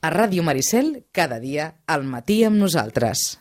A Ràdio Maricel, cada dia, al matí amb nosaltres.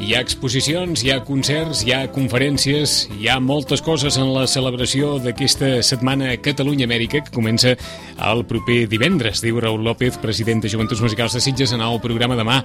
Hi ha exposicions, hi ha concerts, hi ha conferències, hi ha moltes coses en la celebració d'aquesta setmana Catalunya-Amèrica, que comença el proper divendres, diu Raül López, president de Joventuts Musicals de Sitges, en el programa demà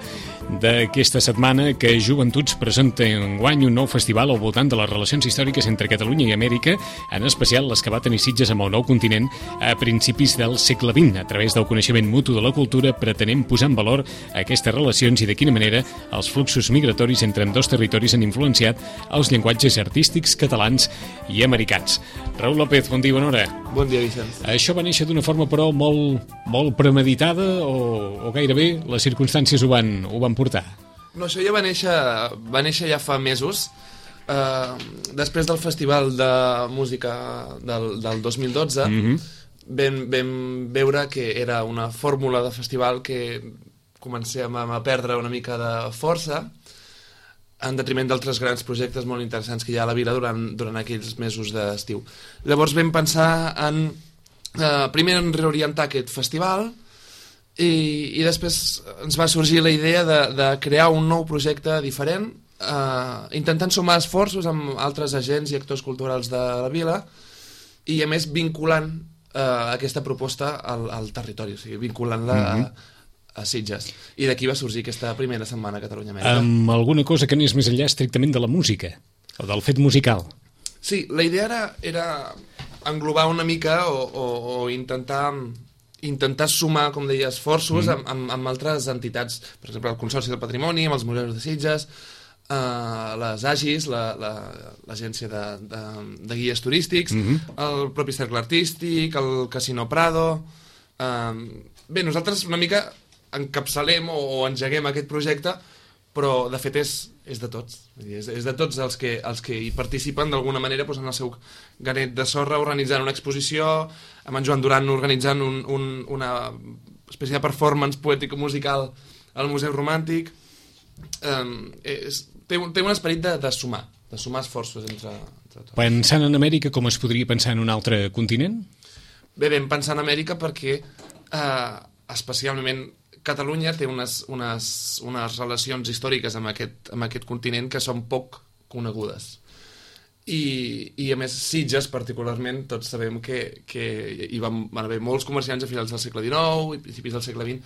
d'aquesta setmana, que Joventuts presenta enguany un nou festival al voltant de les relacions històriques entre Catalunya i Amèrica, en especial les que va tenir Sitges amb el nou continent a principis del segle XX. A través del coneixement mutu de la cultura pretenem posar en valor aquestes relacions i de quina manera els fluxos migratoris entre ambdós territoris han influenciat els llenguatges artístics catalans i americans. Raül López, bon dia, bona hora. Bon dia, Vicenç. Això va néixer d'una forma, però, molt premeditada o gairebé les circumstàncies ho van portar? No, això ja va néixer ja fa mesos, després del Festival de Música del 2012, vam veure que era una fórmula de festival que comencem a perdre una mica de força, en detriment d'altres grans projectes molt interessants que hi ha a la vila durant aquells mesos d'estiu. Llavors vam pensar primer en reorientar aquest festival i després ens va sorgir la idea de crear un nou projecte diferent, intentant sumar esforços amb altres agents i actors culturals de la vila i a més vinculant aquesta proposta al territori, o sigui, vinculant-la a Sitges. I d'aquí va sorgir aquesta primera setmana Catalunya-Amèrica. Amb alguna cosa que anés més enllà estrictament de la música, o del fet musical. Sí, la idea era englobar una mica o intentar sumar, com deia, esforços amb altres entitats. Per exemple, el Consorci del Patrimoni, amb els museus de Sitges, les AGIs, l'agència de guies turístics, el propi Cercle Artístic, el Casino Prado. Bé, nosaltres una mica encapçalem o engeguem aquest projecte, però de fet és de tots. És de tots els que hi participen d'alguna manera, posant el seu granet de sorra, organitzant una exposició, amb en Joan Duran organitzant una espècie de performance poètic-musical al Museu Romàntic. Té un esperit de sumar esforços entre tots. Pensant en Amèrica, com es podria pensar en un altre continent? Bé, vam pensar en Amèrica perquè especialment Catalunya té unes relacions històriques amb aquest continent que són poc conegudes. I a més, Sitges, particularment, tots sabem que hi van haver molts comerciants a finals del segle XIX i principis del segle XX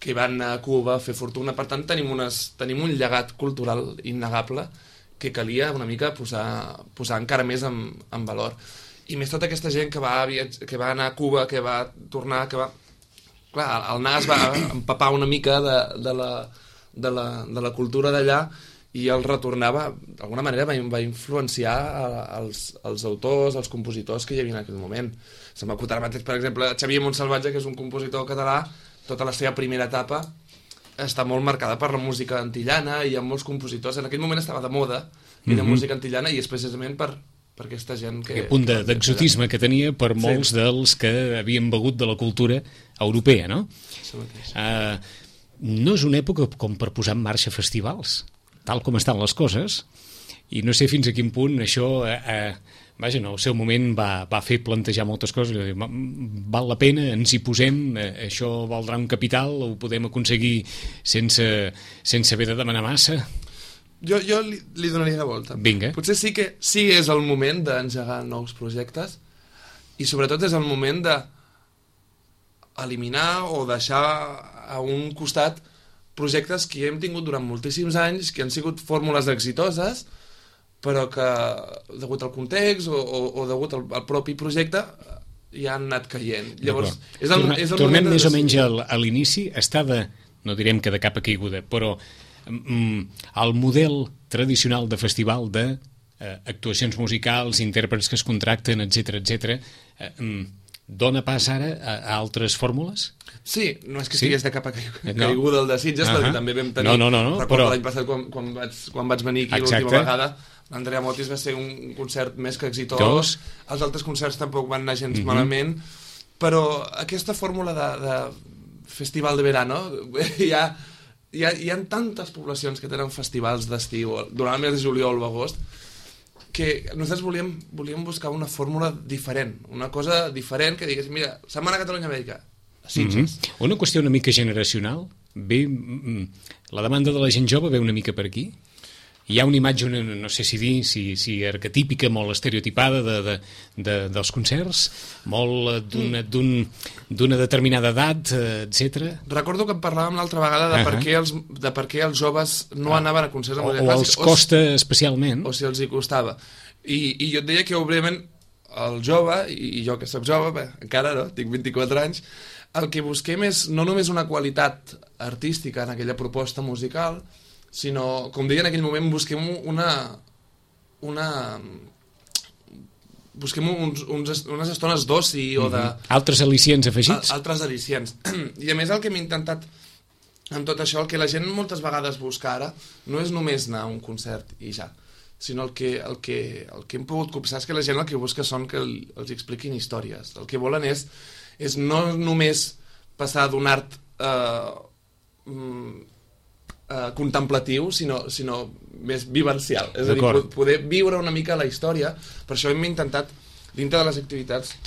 que van a Cuba a fer fortuna. Per tant, tenim un llegat cultural innegable que calia una mica posar encara més en valor. I més tota aquesta gent que va anar a Cuba, que va tornar, Clar, el nas va empapar una mica de la cultura d'allà i el retornava, d'alguna manera va influenciar els autors, els compositors que hi havia en aquell moment. Se m'acut ara mateix, per exemple, Xavier Montsalvatge, que és un compositor català, tota la seva primera etapa està molt marcada per la música antillana i hi ha molts compositors. En aquell moment estava de moda i de música antillana i és precisament per aquesta gent que... Aquest punt d'exotisme que tenia per molts dels que havien begut de la cultura europea, no? No és una època com per posar en marxa festivals, tal com estan les coses, i no sé fins a quin punt això, vaja, no, el seu moment va fer plantejar moltes coses, val la pena, ens hi posem, això valdrà un capital, ho podem aconseguir sense haver de demanar massa... Jo li donaria la volta. Vinga. Potser sí que és el moment d'engegar nous projectes i sobretot és el moment d'eliminar o deixar a un costat projectes que hem tingut durant moltíssims anys, que han sigut fórmules exitoses, però que, degut al context o degut al propi projecte, ja han anat caient. Llavors, tornem més o menys a l'inici, no direm que de capa caiguda, però el model tradicional de festival de actuacions musicals, intèrprets que es contracten, etc. Dona pas ara a altres fórmules? Sí, no és que estigués de capa caiguda el de Sitges, perquè també vam tenir... Recordo però... l'any passat quan vaig venir aquí l'última vegada, l'Andrea Motis va ser un concert més que exitós, els altres concerts tampoc van anar gens malament, però aquesta fórmula de festival de verano, hi ha tantes poblacions que tenen festivals d'estiu durant el mes de juliol o agost, que nosaltres volíem buscar una fórmula diferent, una cosa diferent que digués, mira, Setmana Catalunya-Amèrica, a Sitges. Una qüestió una mica generacional, la demanda de la gent jove ve una mica per aquí? Hi ha una imatge, no sé si dir, si arquetípica, molt estereotipada dels concerts, molt d'una determinada edat, etc. Recordo que en parlàvem l'altra vegada de per què els joves no anaven a concerts de música O clàssica. els costa especialment. O si els hi costava. I jo et deia que, òbviament, el jove, i jo que soc jove, encara no, tinc 24 anys, el que busquem és no només una qualitat artística en aquella proposta musical, sinó, com deia en aquell moment, busquem unes estones d'oci o de... Altres al·licients afegits? Altres al·licients. I a més el que hem intentat amb tot això, el que la gent moltes vegades busca ara, no és només anar a un concert i ja, sinó el que hem pogut copsar és que la gent el que busca són que els expliquin històries. El que volen és no només passar d'un art contemplatiu, sinó més vivencial. És a dir, poder viure una mica la història. Per això hem intentat, dintre de les activitats,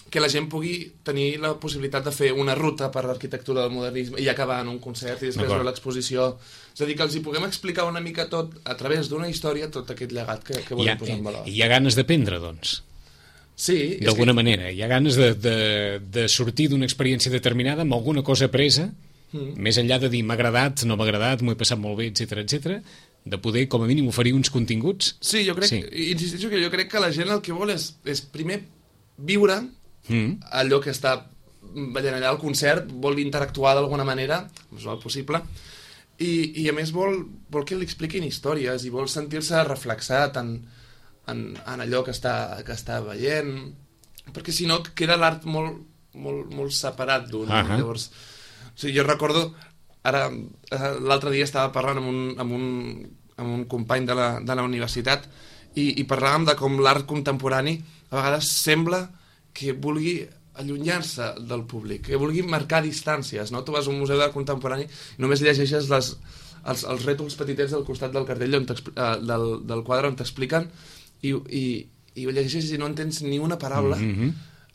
que la gent pugui tenir la possibilitat de fer una ruta per l'arquitectura del modernisme i acabar en un concert i després veure l'exposició. És a dir, que els hi puguem explicar una mica tot, a través d'una història, tot aquest llegat que volem posar en valor. I hi ha ganes d'aprendre, doncs? Sí. D'alguna manera. Hi ha ganes de sortir d'una experiència determinada amb alguna cosa presa, més enllà de dir m'ha agradat, no m'ha agradat, m'ho he passat molt bé, etc, de poder, com a mínim, oferir uns continguts. Sí, jo crec, insisteixo que jo crec que la gent el que vol és primer viure allò que està veient allà al concert, vol interactuar d'alguna manera, més o possible, i a més vol que li expliquin històries i vol sentir-se reflexat en allò que està veient, perquè si no queda l'art molt separat d'un. Llavors, o sigui, jo recordo, ara l'altre dia estava parlant amb un company de la universitat i parlàvem de com l'art contemporani a vegades sembla que vulgui allunyar-se del públic, que vulgui marcar distàncies, no? Tu vas a un museu d'art contemporani i només llegeixes els rètols petitets del costat del cartell del quadre on t'expliquen i ho llegeixes i no entens ni una paraula.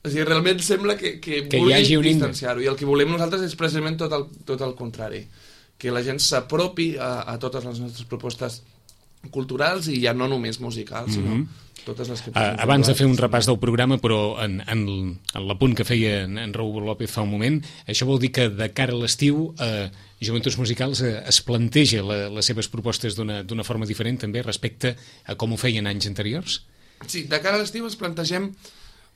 O sigui, realment sembla que vulgui distanciar-ho, i el que volem nosaltres és precisament tot el contrari, que la gent s'apropi a totes les nostres propostes culturals i ja no només musicals, sinó totes les que... Abans de fer un repàs del programa, però en l'apunt que feia en Raúl López fa un moment, això vol dir que de cara a l'estiu Joventuts Musicals es planteja les seves propostes d'una forma diferent també respecte a com ho feien anys anteriors? Sí, de cara a l'estiu es plantegem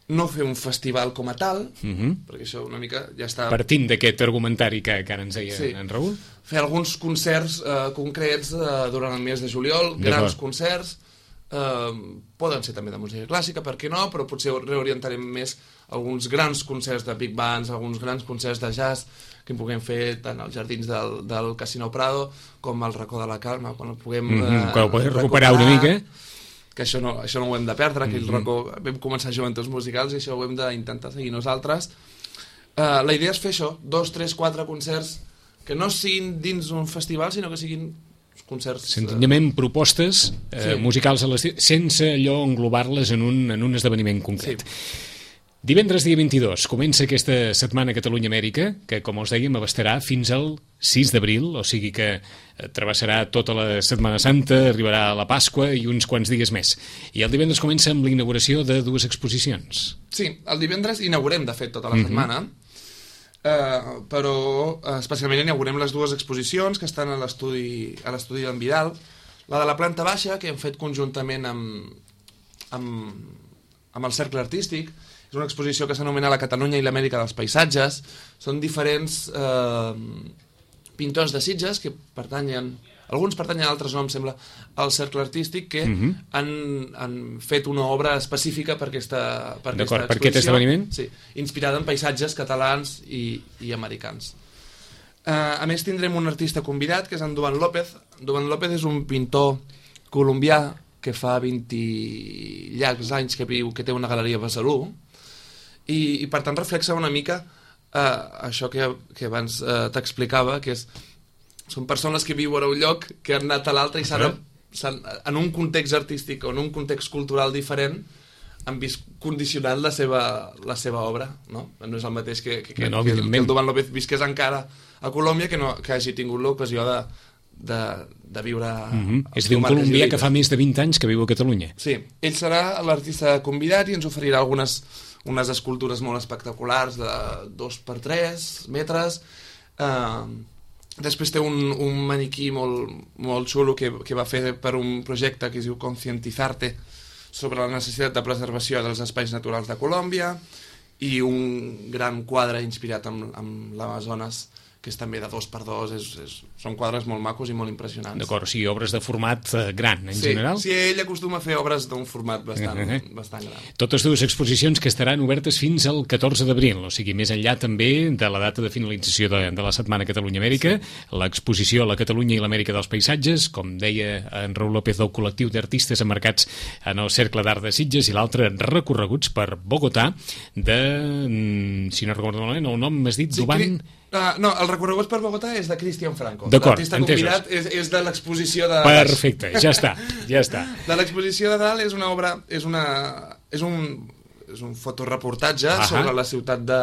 no fer un festival com a tal, perquè això una mica ja està... Partint d'aquest argumentari que ara ens deia en Raúl? Fer alguns concerts concrets durant el mes de juliol, grans concerts, poden ser també de música clàssica, per què no, però potser reorientarem més alguns grans concerts de big bands, alguns grans concerts de jazz que en puguem fer tant als jardins del Casino Prado com al Racó de la Calma, quan el puguem recuperar una mica, que això no ho hem de perdre, aquell racó vam començar Joventuts Musicals i això ho hem d'intentar seguir nosaltres. La idea és fer això, 2, 3, 4 concerts que no siguin dins un festival, sinó que siguin concerts... Senzillament propostes musicals a l'estiu, sense allò englobar-les en un esdeveniment concret. Divendres, dia 22, comença aquesta setmana Catalunya-Amèrica, que, com us dèiem, abastarà fins al 6 d'abril, o sigui que travessarà tota la Setmana Santa, arribarà a la Pasqua i uns quants dies més. I el divendres comença amb l'inauguració de 2 exposicions. Sí, el divendres inaugurem, de fet, tota la setmana, però especialment inaugurem les 2 exposicions que estan a l'estudi d'en Vidal. La de la planta baixa, que hem fet conjuntament amb el Cercle Artístic, és una exposició que s'anomena La Catalunya i l'Amèrica dels Paisatges. Són diferents pintors de Sitges que pertanyen alguns pertanyen a altres noms, sembla, al cercle artístic, que han fet una obra específica per aquesta exposició. Per aquest esdeveniment? Sí, inspirada en paisatges catalans i americans. A més, tindrem un artista convidat, que és en Duvan López. Duvan López és un pintor colombià que fa 20 llargs anys que viu, que té una galeria a Besalú, i per tant reflexa una mica això que abans t'explicava, que són persones que viuen a un lloc, que han anat a l'altre i en un context artístic o en un context cultural diferent han vist condicionat la seva obra, no? No és el mateix que el Duvan López visqués encara a Colòmbia, que hagi tingut l'ocasió de viure... És a dir, un colombià que fa més de 20 anys que viu a Catalunya. Sí, ell serà l'artista convidat i ens oferirà unes escultures molt espectaculars de 2x3 metres. Després té un maniquí molt xulo que va fer per un projecte que es diu Concientizarte sobre la necessitat de preservació dels espais naturals de Colòmbia, i un gran quadre inspirat en l'Amazones, que és també de 2x2, són quadres molt macos i molt impressionants. D'acord, o sigui, obres de format gran, en general? Sí, ell acostuma a fer obres d'un format bastant gran. Totes dues exposicions que estaran obertes fins al 14 d'abril, o sigui, més enllà també de la data de finalització de la Setmana Catalunya-Amèrica, l'exposició a la Catalunya i l'Amèrica dels Paisatges, com deia en Raül López, del col·lectiu d'artistes emmarcats en el Cercle d'Art de Sitges, i l'altre recorreguts per Bogotà de, si no recordo malament, el nom m'has dit, Duvan... No, el recorregut per Bogotà és de Cristian Franco. D'acord, l'artista convidat és de l'exposició de... Perfecte, ja està. De l'exposició de dalt és una obra, és un fotoreportatge sobre la ciutat de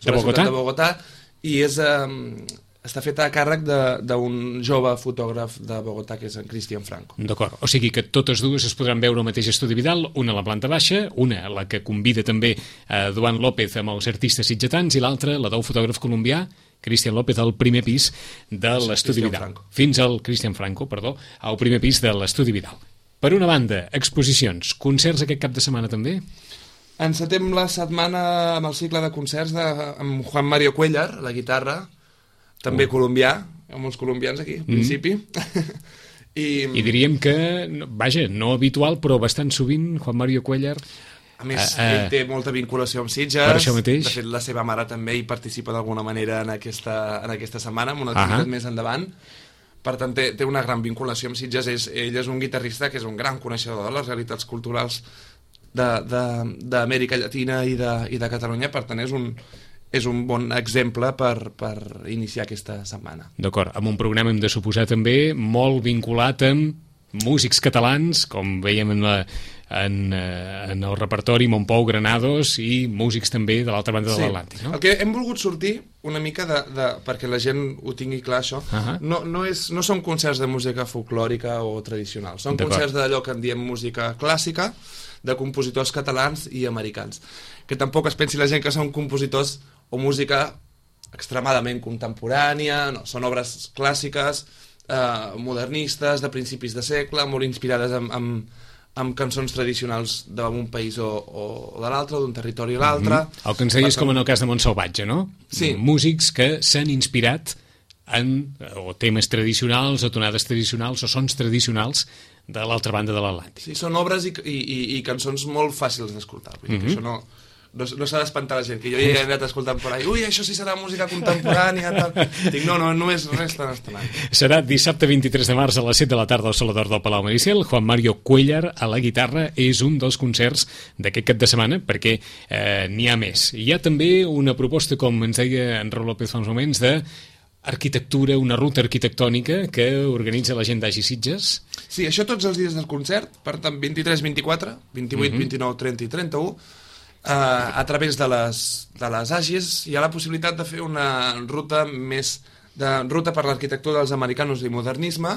Bogotà, i està feta a càrrec d'un jove fotògraf de Bogotà, que és en Cristian Franco. D'acord, o sigui que totes dues es podran veure al mateix estudi Vidal, una a la planta baixa, una la que convida també a Duvan López amb els artistes sitgetans, i l'altra, la del fotògraf colombià, Cristian López, al primer pis de l'estudi Vidal. Fins al Cristian Franco, perdó, al primer pis de l'estudi Vidal. Per una banda, exposicions, concerts aquest cap de setmana també? Encetem la setmana amb el cicle de concerts amb Juan Mario Cuéllar, a la guitarra, també colombià, hi ha molts colombians aquí, al principi. I diríem que, vaja, no habitual, però bastant sovint, Juan Mario Cuéllar... A més, ell té molta vinculació amb Sitges. Per això mateix. De fet, la seva mare també hi participa d'alguna manera en aquesta setmana, amb una activitat més endavant. Per tant, té una gran vinculació amb Sitges. Ell és un guitarrista que és un gran coneixedor de les realitats culturals d'Amèrica Llatina i de Catalunya. Per tant, és un bon exemple per iniciar aquesta setmana. D'acord, amb un programa, hem de suposar també, molt vinculat amb músics catalans, com veiem en el repertori, Montpou, Granados, i músics també de l'altra banda de l'Atlàntic. No? El que hem volgut sortir una mica perquè la gent ho tingui clar, això, no són concerts de música folclòrica o tradicional, són concerts d'allò que en diem música clàssica, de compositors catalans i americans. Que tampoc es pensi la gent que són compositors o música extremadament contemporània, no, són obres clàssiques, modernistes, de principis de segle, molt inspirades amb cançons tradicionals d'un país o de l'altre, d'un territori a l'altre. El que ens deies com en el cas de Montsalvatge, no? Sí. Músics que s'han inspirat en o temes tradicionals, o tonades tradicionals, o sons tradicionals de l'altra banda de l'Atlàntic. Sí, són obres i cançons molt fàcils d'escoltar. Vull dir que això no s'ha d'espantar la gent, que jo ja he anat escoltant per ahí, ui, això sí serà música contemporània, tal. Dic, no és res tan estrany. Serà dissabte 23 de març a les 7 de la tarda al Solador del Palau Mariciel. Juan Mario Cuéllar a la guitarra és un dels concerts d'aquest cap de setmana, perquè n'hi ha més. Hi ha també una proposta, com ens deia en Raül López fa uns moments, d'arquitectura, una ruta arquitectònica que organitza la gent d'Agi Sitges. Sí, això tots els dies del concert, per tant, 23, 24, 28, 29, 30 i 31, a través de les Agis hi ha la possibilitat de fer una ruta ruta per l'arquitectura dels americanos i modernisme,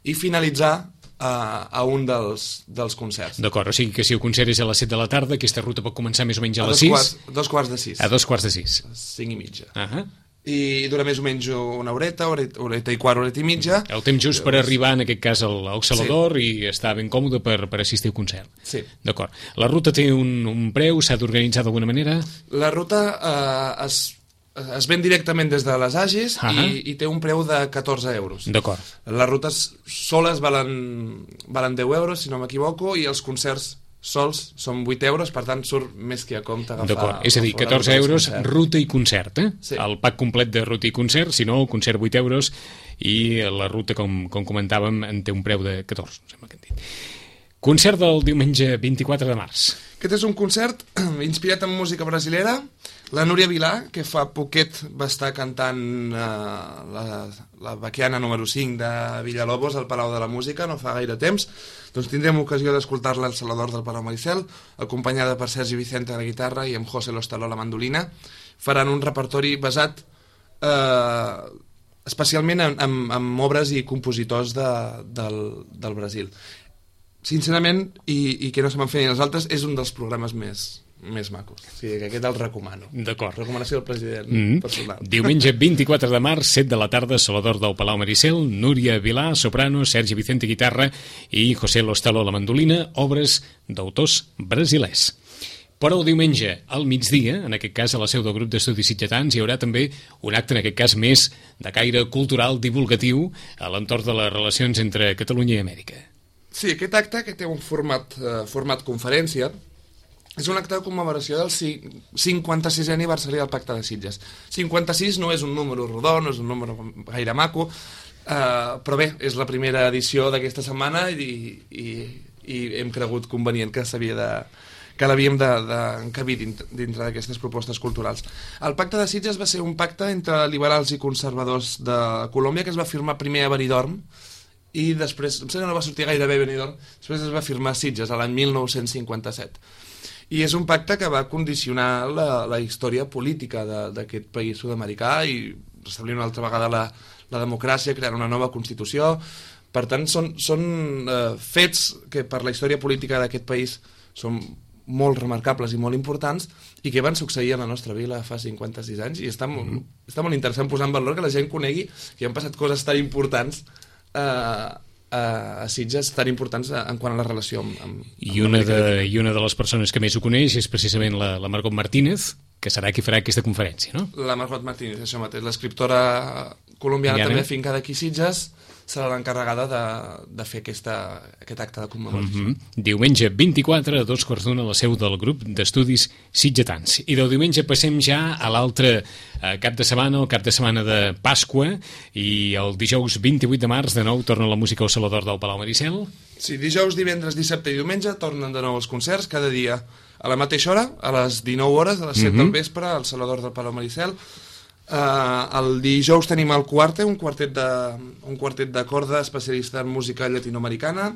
i finalitzar a un dels concerts. D'acord, o sigui que si el concert és a les 7 de la tarda, aquesta ruta pot començar més o menys a les 6? A 2:45. A 2:45. 5:30. I dura més o menys una horeta i quart, horeta i mitja. El temps just per arribar, en aquest cas, al Salador, i estar ben còmode per assistir al concert. Sí. D'acord. La ruta té un preu? S'ha d'organitzar d'alguna manera? La ruta es es ven directament des de les Agis i té un preu de 14 euros. D'acord. Les rutes soles valen 10 euros, si no m'equivoco, i els concerts sols són 8 euros, per tant surt més que a compte agafar... D'acord, és a dir, 14 euros, ruta i concert, eh? Sí. El pack complet de ruta i concert, si no, el concert 8 euros i la ruta, com comentàvem, en té un preu de 14, sembla que hem dit. Concert del diumenge 24 de març. Aquest és un concert inspirat en música brasilera. La Núria Vilà, que fa poquet va estar cantant la Baquiana número 5 de Villalobos al Palau de la Música, no fa gaire temps. Doncs tindrem ocasió d'escoltar-la al Salvador del Palau Maricel, acompanyada per Sergi Vicente a la guitarra i amb José Lostaló a la mandolina. Faran un repertori basat especialment en obres i compositors del Brasil. Sincerament, i que no se me'n feien els altres, és un dels programes més macos. O sigui, que aquest el recomano. D'acord. Recomanació del president personal. Diumenge 24 de març, 7 de la tarda, Salvador del Palau Maricel, Núria Vilà, soprano, Sergi Vicente, guitarra i José Lostaló a la mandolina, obres d'autors brasilers. Però el diumenge, al migdia, en aquest cas a la seu del grup d'estudis sitgetans, hi haurà també un acte, en aquest cas més de caire cultural divulgatiu a l'entorn de les relacions entre Catalunya i Amèrica. Sí, aquest acte, que té un format conferència, és un acte de commemoració del 56è aniversari del Pacte de Sitges. 56 no és un número rodó, no és un número gaire maco, però bé, és la primera edició d'aquesta setmana i hem cregut convenient que l'havíem d'encabir dintre d'aquestes propostes culturals. El Pacte de Sitges va ser un pacte entre liberals i conservadors de Colòmbia que es va firmar primer a Benidorm i després, em sembla que no va sortir gaire bé Benidorm, després es va firmar a Sitges l'any 1957. I és un pacte que va condicionar la història política d'aquest país sud-americà i restablir una altra vegada la democràcia, crear una nova Constitució. Per tant, són fets que per la història política d'aquest país són molt remarcables i molt importants i que van succeir a la nostra vila fa 56 anys i està molt interessant posar en valor que la gent conegui que han passat coses tan importants a Sitges, tan importants en quant a la relació amb I una de les persones que més ho coneix és precisament la Margot Martínez, que serà qui farà aquesta conferència, no? La Margot Martínez, això mateix, l'escriptora colombiana també fincada aquí a Sitges, serà l'encarregada de fer aquest acte de commemoració. Diumenge 24 a 2:15 a la seu del grup d'estudis sitgetans. I del diumenge passem ja a l'altre cap de setmana, el cap de setmana de Pasqua, i el dijous 28 de març de nou torna la música al Salvador del Palau Maricel. Sí, dijous, divendres, dissabte i diumenge tornen de nou els concerts, cada dia a la mateixa hora, a les 19 hores, a les 7 del vespre, al Salvador del Palau Maricel. El dijous tenim el Cuarte, un quartet de corda especialista en música llatinoamericana.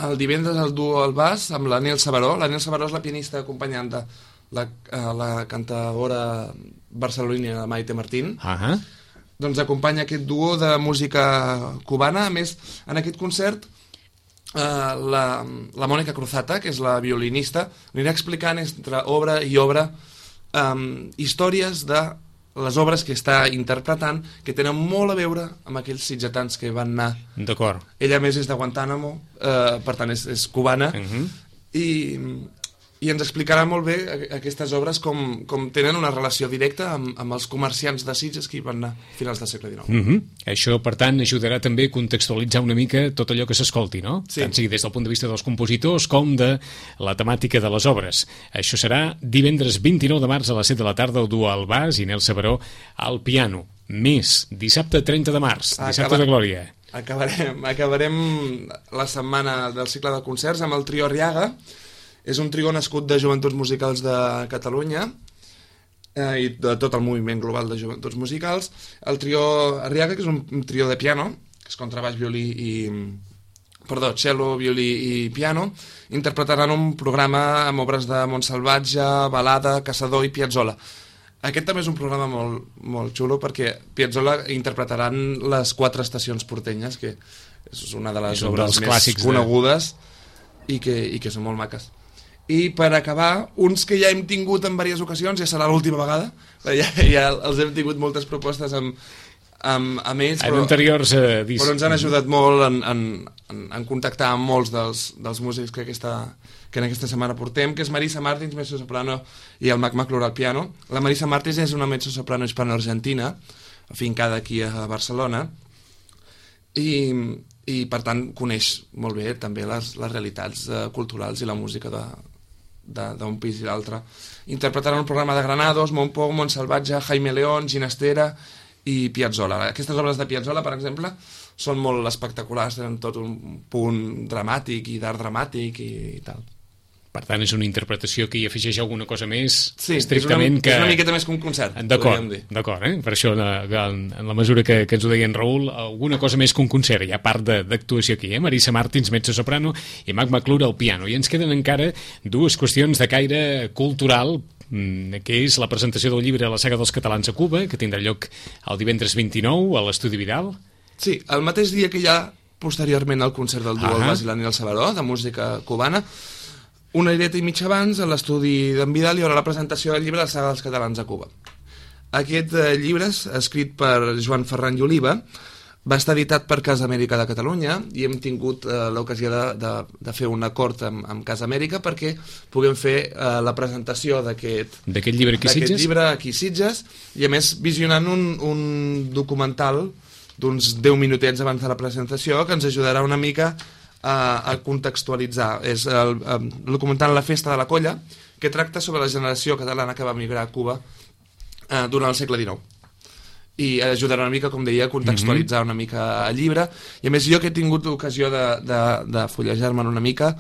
El divendres el duo al bas amb l'Anel Sabaró. L'Anel Sabaró és la pianista acompanyant de la cantadora barcelonina Maite Martín. Doncs acompanya aquest duo de música cubana. A més, en aquest concert la Mònica Cruzata, que és la violinista, anirà explicant entre obra i obra històries de les obres que està interpretant que tenen molt a veure amb aquells sitgetans que van anar. D'acord. Ella més és de Guantánamo, per tant és cubana, i ens explicarà molt bé aquestes obres com tenen una relació directa amb els comerciants de Sitges que hi van anar a finals del segle XIX. Això, per tant, ajudarà també a contextualitzar una mica tot allò que s'escolti, no? Sí. Tant sigui des del punt de vista dels compositors com de la temàtica de les obres. Això serà divendres 29 de març a les 7 de la tarda, el duo al bas i Nel Sabaró al piano. Més, dissabte 30 de març, dissabte de Glòria. Acabarem la setmana del cicle de concerts amb el trio Arriaga. És un trio nascut de Joventuts Musicals de Catalunya i de tot el moviment global de joventuts musicals. El trio Arriaga, que és un trio de piano, que és contrabaix, cello, violí i piano, interpretaran un programa amb obres de Montsalvatge, Balada, Caçador i Piazzolla. Aquest també és un programa molt, molt xulo perquè Piazzolla interpretaran les 4 estacions portenyes, que és una de les obres més conegudes i que són molt maques. I per acabar, uns que ja hem tingut en diverses ocasions, ja serà l'última vegada, ja els hem tingut moltes propostes amb amb ells, en anteriors discs. Però ens han ajudat molt en contactar amb molts dels músics que en aquesta setmana portem, que és Marisa Martins, mezzosoprano, i el Mac McClure al piano. La Marisa Martins és una mezzosoprano hispano-argentina, afincada aquí a Barcelona, i per tant coneix molt bé també les realitats culturals i la música d'un país i l'altre. Interpretaran un programa de Granados, Montpou, Montsalvatge, Jaime León, Ginastera i Piazzolla. Aquestes obres de Piazzolla, per exemple, són molt espectaculars, tenen tot un punt dramàtic i d'art dramàtic i tal. Per tant, és una interpretació que hi afegeix alguna cosa més, sí, estrictament és una miqueta més que un concert. D'acord, per això, en la mesura que ens ho deia en Raül, alguna cosa més que un concert. Hi ha part d'actuació aquí, Marisa Martins, mezzosoprano, i Mac McClure al piano. I ens queden encara dues qüestions de caire cultural, que és la presentació del llibre La saga dels catalans a Cuba, que tindrà lloc el divendres 29 a l'Estudi Vidal. Sí, el mateix dia que hi ha posteriorment el concert del duo El Basilan i el Salvador, de música cubana. Una horeta i mitja abans, a l'estudi d'en Vidal, hi haurà la presentació del llibre La saga dels catalans a Cuba. Aquest llibre, escrit per Joan Ferran i Oliva, va estar editat per Casa Amèrica de Catalunya i hem tingut l'ocasió de fer un acord amb Casa Amèrica perquè puguem fer la presentació d'aquest llibre aquí a Sitges, i a més visionant un documental d'uns 10 minutets abans de la presentació que ens ajudarà una mica a contextualitzar. És el documental La festa de la colla, que tracta sobre la generació catalana que va emigrar a Cuba durant el segle XIX. I ajudarà una mica, com deia, a contextualitzar una mica el llibre. I a més, jo que he tingut l'ocasió de fullejar-me'n una mica,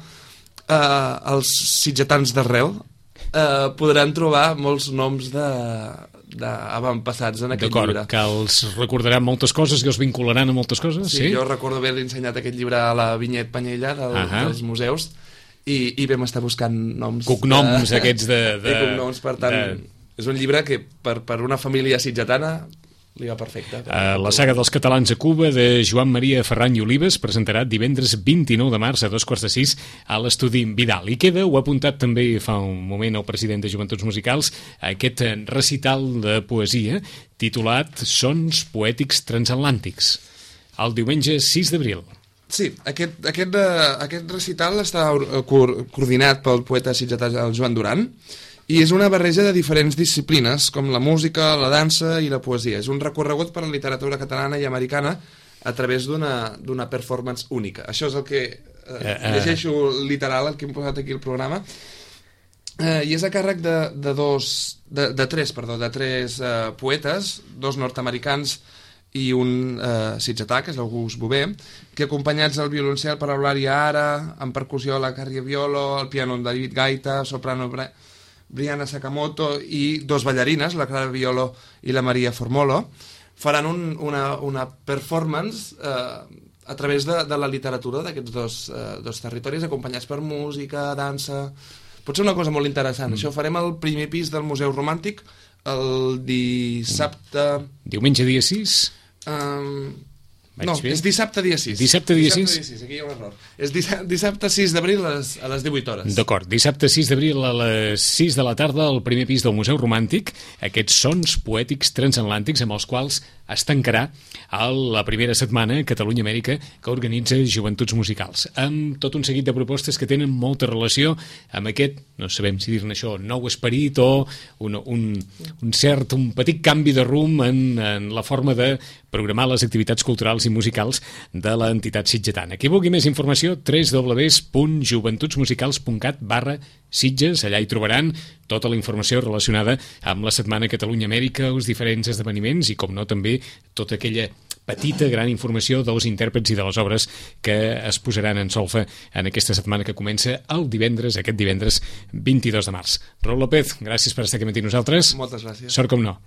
els sitgetans d'arrel podran trobar molts noms d'avantpassats en aquest llibre. D'acord, que els recordaran moltes coses, que els vincularan a moltes coses? Sí, jo recordo haver ensenyat aquest llibre a la Vinyet Panyella dels museus i vam estar buscant noms. Cognoms aquests de cognoms, per tant, és un llibre que per una família sitgetana li va perfecte. La saga dels catalans a Cuba, de Joan Maria Ferran i Olives, presentarà divendres 29 de març a 2:45 a l'Estudi Vidal. I queda, ho ha apuntat també fa un moment el president de Joventuts Musicals, aquest recital de poesia titulat Sons poètics transatlàntics, el diumenge 6 d'abril. Sí, aquest recital està coordinat pel poeta sitgetà Joan Duran, i és una barreja de diferents disciplines, com la música, la dansa i la poesia. És un recorregut per la literatura catalana i americana a través d'una performance única. Això és el que llegeixo literal, el que hem posat aquí al programa. I és a càrrec de tres poetes, dos nord-americans i un sitgetà, que és l'August Bové, que acompanyats del violoncel per Eulàlia Ara, amb percussió la Carrie Violo, el piano de David Gaita, soprano Brianna Sakamoto i dos ballarines, la Clara Violo i la Maria Formolo, faran una performance a través de la literatura d'aquests dos territoris, acompanyats per música, dansa. Pot ser una cosa molt interessant. Això ho farem al primer pis del Museu Romàntic el dissabte... Diumenge dia 6? És dissabte dia 6. Dissabte dia 6? Aquí hi ha un error. És dissabte 6 d'abril a les 18 hores. D'acord, dissabte 6 d'abril a les 6 de la tarda al primer pis del Museu Romàntic, aquests sons poètics transatlàntics amb els quals es tancarà la primera setmana Catalunya-Amèrica que organitza Joventuts Musicals, amb tot un seguit de propostes que tenen molta relació amb aquest, no sabem si dir-ne això, nou esperit o un petit canvi de rumb en la forma de programar les activitats culturals i musicals de l'entitat sitgetana. Qui vulgui més informació, www.joventutsmusicals.cat/Sitges, allà hi trobaran tota la informació relacionada amb la Setmana Catalunya-Amèrica, els diferents esdeveniments i, com no, també tota aquella petita, gran informació dels intèrprets i de les obres que es posaran en solfa en aquesta setmana que comença aquest divendres 22 de març. Raül López, gràcies per estar aquí amb nosaltres. Moltes gràcies. Sort com no.